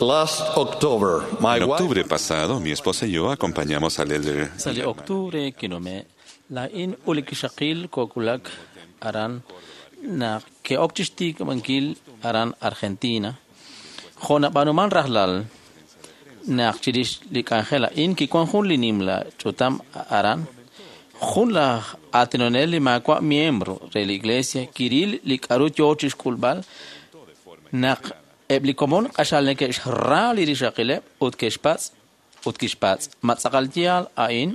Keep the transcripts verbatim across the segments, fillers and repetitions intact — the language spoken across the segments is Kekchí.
Last October, my En wife octubre pasado, mi esposa y yo acompañamos al elder Sa li octubre kinume, laa'in ut li kixaqil kookulak aran naq ke'ok chi xtikb'ankil aran Argentina. Jo' nab'aanuman rajlal naq chirix li k'anjel a'in kiwan jun li nimla ch'utam aran, jun laj aatinonel li maawa' miembro re li iglesia kiril li k'aru yoo chi xk'ulb'al naq eb' li komon q'axal neke'xra li rixaqileb' ut ke'xpatz' ut kixpatz' ma tz'aqal yaal a'in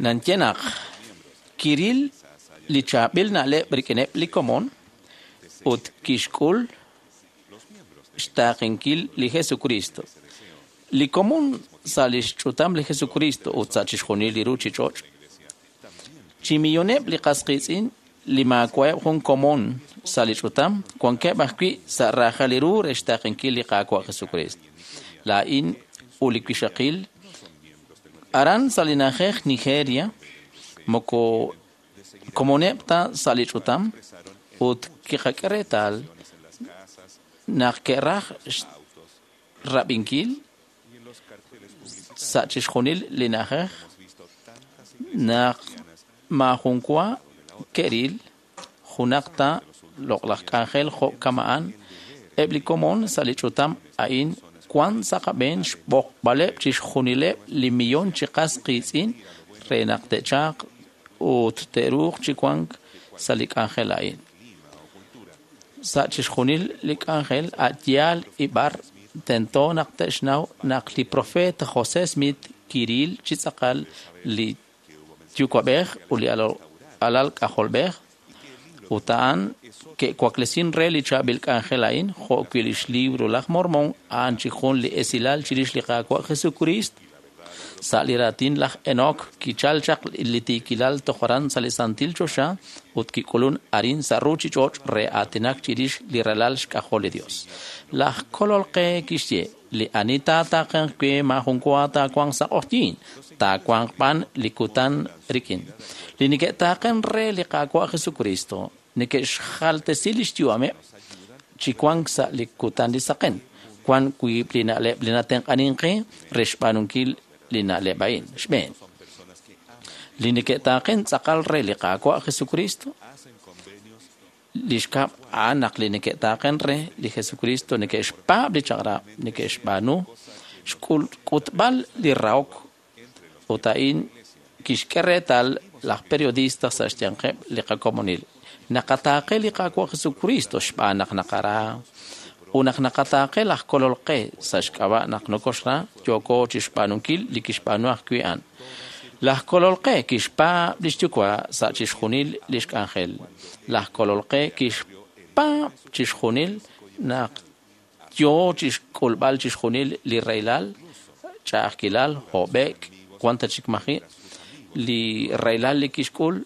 nanye naq kiril li chaab'il na'leb' rik'ineb' li komon ut kixk'ul xtaaqenkil li Jesucristo. Li komon sa' li xch'utam li Jesucristo ut sa' chixjunil li ruchich'och'. Chi milloneb' li qas qiitz'in li maawa'eb' jun komon sa' li ch'utam wankeb' ajwi' sa' raajal li ru re xtaaqenkil li Qaawa' Jesucristo. Laa'in ut li wixaqil aran sa' li na'ajej Nigeria moko komoneb' ta sa' li ch'utam ut kiqak'e reetal naq ke'raj rab'inkil sa' chixjunil li na'ajej naq maajun wa ke'ril junaq ta loq'laj k'anjel jo' kama'an eb' li komon sa' li ch'utam a'in wan sa' qab'een xb'oqb'aleb' chixjunileb' li millon chi qas qiitz'in re naq te'chalq ut te'ruuq chi wank sa' li k'anjel a'in. Sa' chixjunil li k'anjel a' yaal ib'ar tento naq te'xnaw naq li profeta José Smith kiril chi tz'aqal li yuwa'b'ej ut li alal k'ajolb'ej ut a'an ke'waklesin re li chaab'il k'anjel a'in jo' wi' lix libro laj Mormon a'an chi jun li esilal chirix li Qaawa' Jesucrist sa' li raatin laj Enoch kichal chaq li tiikilal toj aran sa' li santil choxa ut kik'ulun arin sa' ruchich'och' re aatinak chirix li ralal xk'ajol li Dios. Laj Kolol qe kixye li ani taataaqenq we maajun wa taawanq sa' q'oqyiin, taawanq b'an li kutan rik'in. Li neke'taaqen re li Qaawa' Jesucristo neke'xjaltesi lix yu'ameb' chi wank sa' li kutan li saqen. Wan wiib' li na'leb' li natenq'anin qe re xb'aanunkil li na'leb' a'in. Xb'een, li neke'taaqen tz'aqal re li Qaawa' Jesucristo li xkab' a'an naq li neke'taaqen re li Jesucristo neke'xpaab' li chaq'rab' neke'xb'aanu xk'utb'al li rahok ut a'in kixk'e reetal laj periodista sa' xyanqeb' li qakomonil. Naqataaqe li Qaawa' Jesucristo xb'aan naq naqara ut naq naqataaqe laj Kolol qe sa' xk'ab'a' naq nokoxra yooko chixb'aanunkil li kixb'aanu ajwi' a'an. Laj Kolol qe kixpaab' lix yuwa' sa' chixjunil lix k'anjel. Laj Kolol qe kixpaab' chixjunil naq yoo chixk'ulb'al chixjunil li rahilal, ch'a'ajkilal, hob'e'k, wan ta chik maji' li rahilal li kixk'ul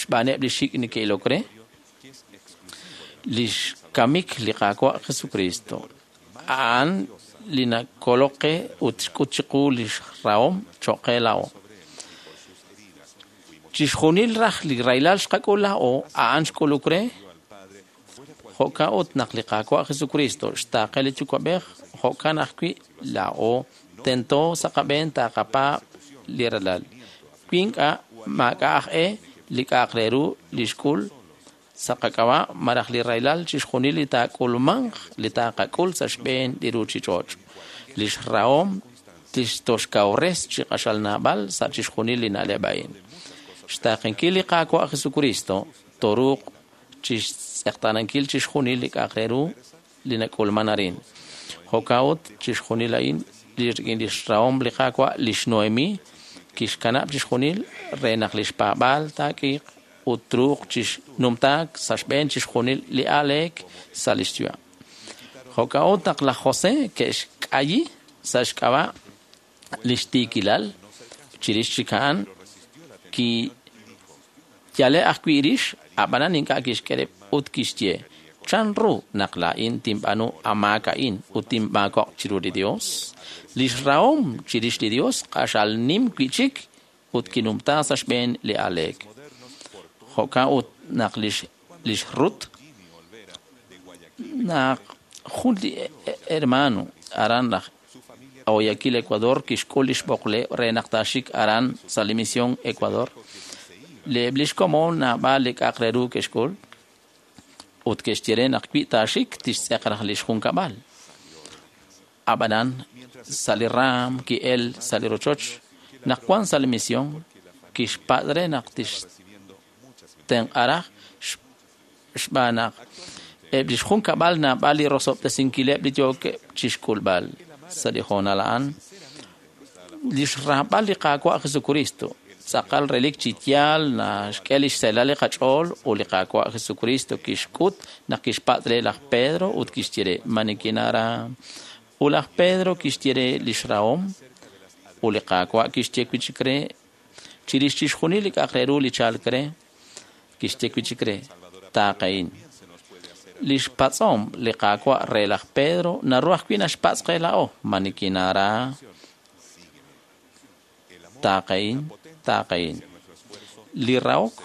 xb'aaneb' li xik' neke'ilok re, lix kamik li Qaawa' Jesucristo. A'an li nakolok qe ut xk'ut chiqu lix rahom choq' qe laa'o. Chixjunil raj li rahilal xqak'ul laa'o a'an xk'uluk re jo'kan ut naq li Qaawa' Jesucristo xtaaqe li Yuwa'b'ej jo'kan ajwi' laa'o tento sa' qab'een taaqapaab' li ralal. Wi ink'a' maak'a' aj e li k'a'aq re ru li xk'ul sa' qak'ab'a' malaj li rahilal chixjunil li taak'ulmanq li taaqak'ul sa' xb'een li ruchich'och'. Lix rahom tixtoxkawres chi q'axal naab'al sa' chixjunil li na'leb' a'in. Xtaaqenkil li Qaawa' Jesucristo toruuq chixtz'eqtaanankil chixjunil li k'a'aq re ru li nak'ulman arin. Jo'kan ut chixjunil a'in li rik'in lix rahom li Qaawa' lix Noemi kixkanab' chixjunil re naq lix paab'aal taak'iiq ut truuq chixnumtaak sa' xb'een chixjunil li aaleek sa' lix yu'am. Jo'kan ut naq laj José ke'xk'ayi sa' xk'ab'a' lix tiikilal chirix chik a'an kiyale ajwi' rix ab'anan ink'a' kixk'e rib' ut kixye chan ru naq laa'in tinb'aanu amaak a'in ut tinmaako'q chiru li Dios. Lix rahom chirix li Dios q'axal nim wi'chik ut kinumta sa' xb'een li aaleek. Jo'kan ut naq lix lix Rut naq Jun li hermano aran laj Guayaquil, Ecuador, kixk'ul lix b'oqleb' re naq taaxik aran sa' li misión Ecuador. Eb' lix komon naab'al li k'a'aq re ru ke'xk'ul ut ke'xye re naq wi taaxik tixtz'eq raj lix junkab'al. Ab'anan sa' li raam ki'el sa' li rochoch naq wan sa' li misión kixpatz' re naq tixtenq'a raj xb'aan naq eb' lix junkab'al naab'al li rosob'tesinkileb' li yookeb' chixk'ulb'al. Sa' li hoonal a'an lix raab'al li Qaawa' Jesucristo tz'aqal relik chi yaal naxk'e lix seelal li qach'ool ut li Qaawa' Jesucristo kixk'ut naq kixpatz' re laj Pedro ut kixye re ma nikinara. Ut laj Pedro kixye re lix rahom ut li Qaawa' kixye wi' chik re chirix chixjunil li k'a'aq re ru li chalk re kixye wi' chik re taaqehin. Lix patz'om li Qaawa' re laj Pedro naru ajwi' naxpatz' qe laa'o ma nikinara taaqehin taaqehin. Li rahok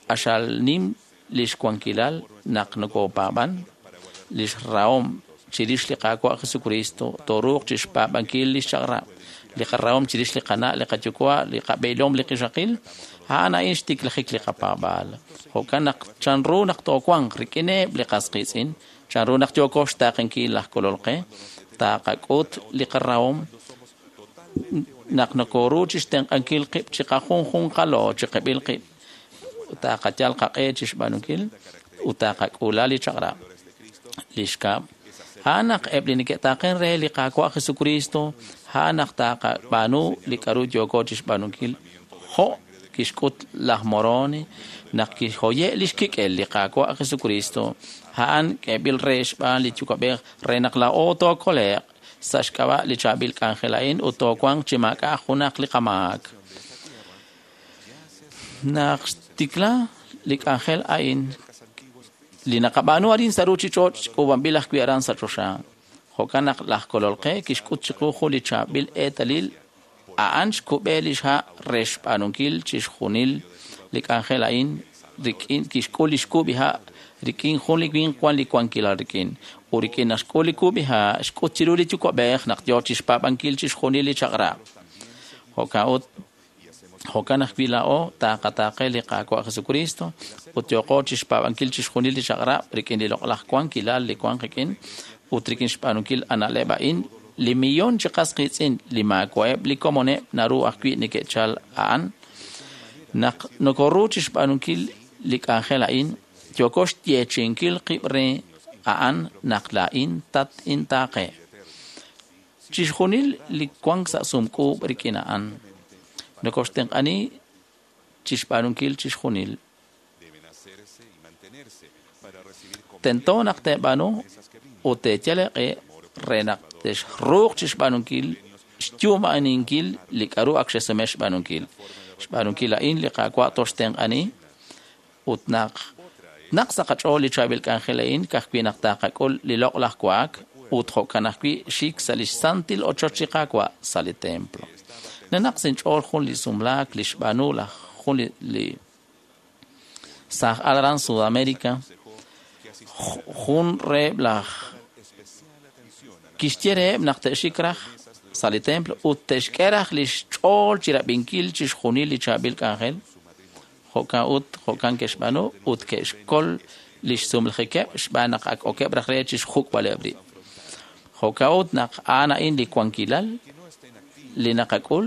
q'axal nim lix wankilal naq nokopaab'an lix rahom chirix li Qaawa' Jesucristo tooruuq chixpaab'ankil lix chaq'rab' li qarahom chirix li qana' li qayuwa' li qab'eelom li qixaqil a'an a'in xtiklajik li qapaab'aal. Jo'kan naq chanru naq toowanq rik'ineb' li qas qiitz'in chanru naq yooko xtaaqenkil laj Kolol qe taqak'ut li qarahom naq nokoru chixtenq'ankil qib' chiqajunjunqalo chiqib'il qib' taqayal qaq'e chixb'aanunkil ut taqak'uula li chaq'rab'. Li xkab' a'an naq eb' li neke'taaqen re li Qaawa' Jesucristo a'an naq taqab'aanu li k'a'ru yooko chixb'aanunkil jo' kixk'ut laj Moroni naq kixhoye' lix kik'el li Qaawa' Jesucristo a'an k'eeb'il re xb'aan li Yuwa'b'ej re naq laa'o tookole'q sa' xk'ab'a' li chaab'il k'anjel a'in ut toowanq chi maak'a' junaq li qamaak. Naq xtikla li k'anjel a'in li naqab'aanu arin sa' ruuchich'och' k'uub'anb'il ajwi' aran sa' choxa. Jo'kan naq laj Kolol qe kixk'ut chiqu jun li chaab'il eetalil a'an xkub'e lix ha' re xb'aanunkil chixjunil li k'anjel a'in rik'in kixk'ul lix kub'i ha' rik'in jun li winq wan li wankilal rik'in ut rik'in naq xk'ul li kub'i ha' xk'ut chiru li Yuwa'b'ej naq yoo chixpaab'ankil chixjunil li chaq'rab'. Jo'kan ut jo'kan ajwi' laa'o taqataaqe li Qaawa' Jesucristo ut yooqo chixpaab'ankil chixjunil li chaq'rab' rik'in li loq'laj wankilal li wan qik'in ut rik'in xb'aanunkil a na'leb' a'in li millón chi qas qiitz'in li maawa'eb' li komoneb' naru ajwi' neke'chal a'an. Naq nokoru chixb'aanunkil li k'anjel a'in yooko xyeechi'inkil qib' re a'an naq laa'in tat-intaaqe. Chixjunil li wank sa' sumk'uub' rik'in a'an nokoxtenq'ani chixb'aanunkil chixjunil. Tento naq teeb'aanu ut teeyal eeq'e re naq texruuq chixb'aanunkil xyu'maninkil li k'a'ru ak xesume xb'aanunkil. Xb'aanunkil a'in li Qaawa' toxtenq'ani ut naq naq sa' qach'ool li chaab'il k'anjel a'in ka'ajwi' naq taqak'ul li loq'laj wa'ak ut jo'kan ajwi' xik sa' lix santil ochoch li Qaawa' sa' li templo. Nanaq sinch'ool jun li sumlaak li xb'aanu laj jun li saaj aran Sudamérica jun reheb' laj kixye reheb' naq te'xik raj sa' li templo ut te'xk'e raj lix ch'ool chirab'inkil chixjunil li chaab'il k'anjel. Jo'kan ut jo'kan ke'xb'aanu ut ke'xkol lix sumlajikeb' xb'aan naq ak okeb' raj re chixjuk'b'aleb' rib'. Jo'kan ut naq a'an a'in li wankilal li naqak'ul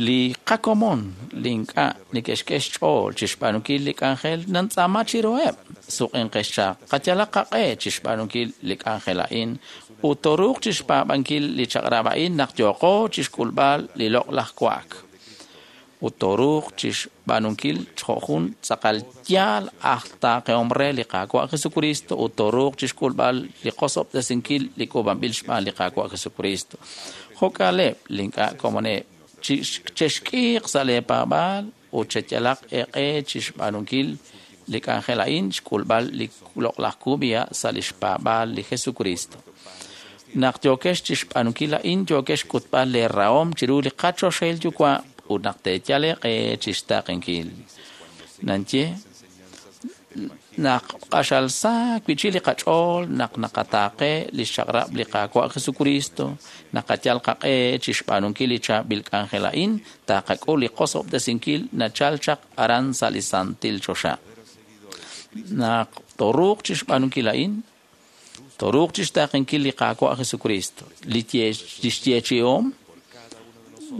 li qakomon li ink'a' neke'xk'e xch'ool chixb'aanunkil li k'anjel nantz'aama chiruheb' suq'inqex chaq qayalaq qaq'e chixb'aanunkil li k'anjel a'in ut tooruuq chixpaab'ankil li chaq'rab' a'in naq yooqo chixk'ulb'al li loq'laj wa'ak ut tooruuq chixb'aanunkil jo' jun tz'aqal yaal aj taaqehom re li Qaawa' Jesucristo ut tooruuq chixk'ulb'al li qosob'tesinkil li k'uub'anb'il xb'aan li Qaawa' Jesucristo. Jo'kaleb' li ink'a' komoneb' chexk'iiq sa' lee paab'aal ut cheyalaq eeq'e chixb'aanunkil li k'anjel a'in xk'ulb'al li loq'laj kub'iha' sa' lix paab'aal li Jesucristo. Naq yookex chixb'aanunkil a'in yookex xk'utb'al lee rahom chiru li qachoxahil Yuwa' ut naq teeyal eeq'e chixtaaqenkil. Nanye Naq q'axal sa wi'chik li qach'ool naq naqataaqe lix chaq'rab' li Qaawa' Jesukristo, naqayal qaq'e chixb'aanunkil li chaab'il k'anjel a'in, taqak'ul li qosob'tesinkil nachal chaq aran sa' li santil choxa. Naq tooruuq chixb'aanunkil a'in, tooruuq chixtaaqenkil li Qaawa' Jesukristo, li lix yeechi'om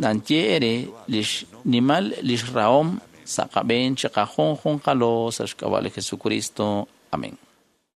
nanye ere lix nimal lix rahom sa' qab'een chiqajunjunqalo sa' xk'ab'a' li Jesucristo. Amén.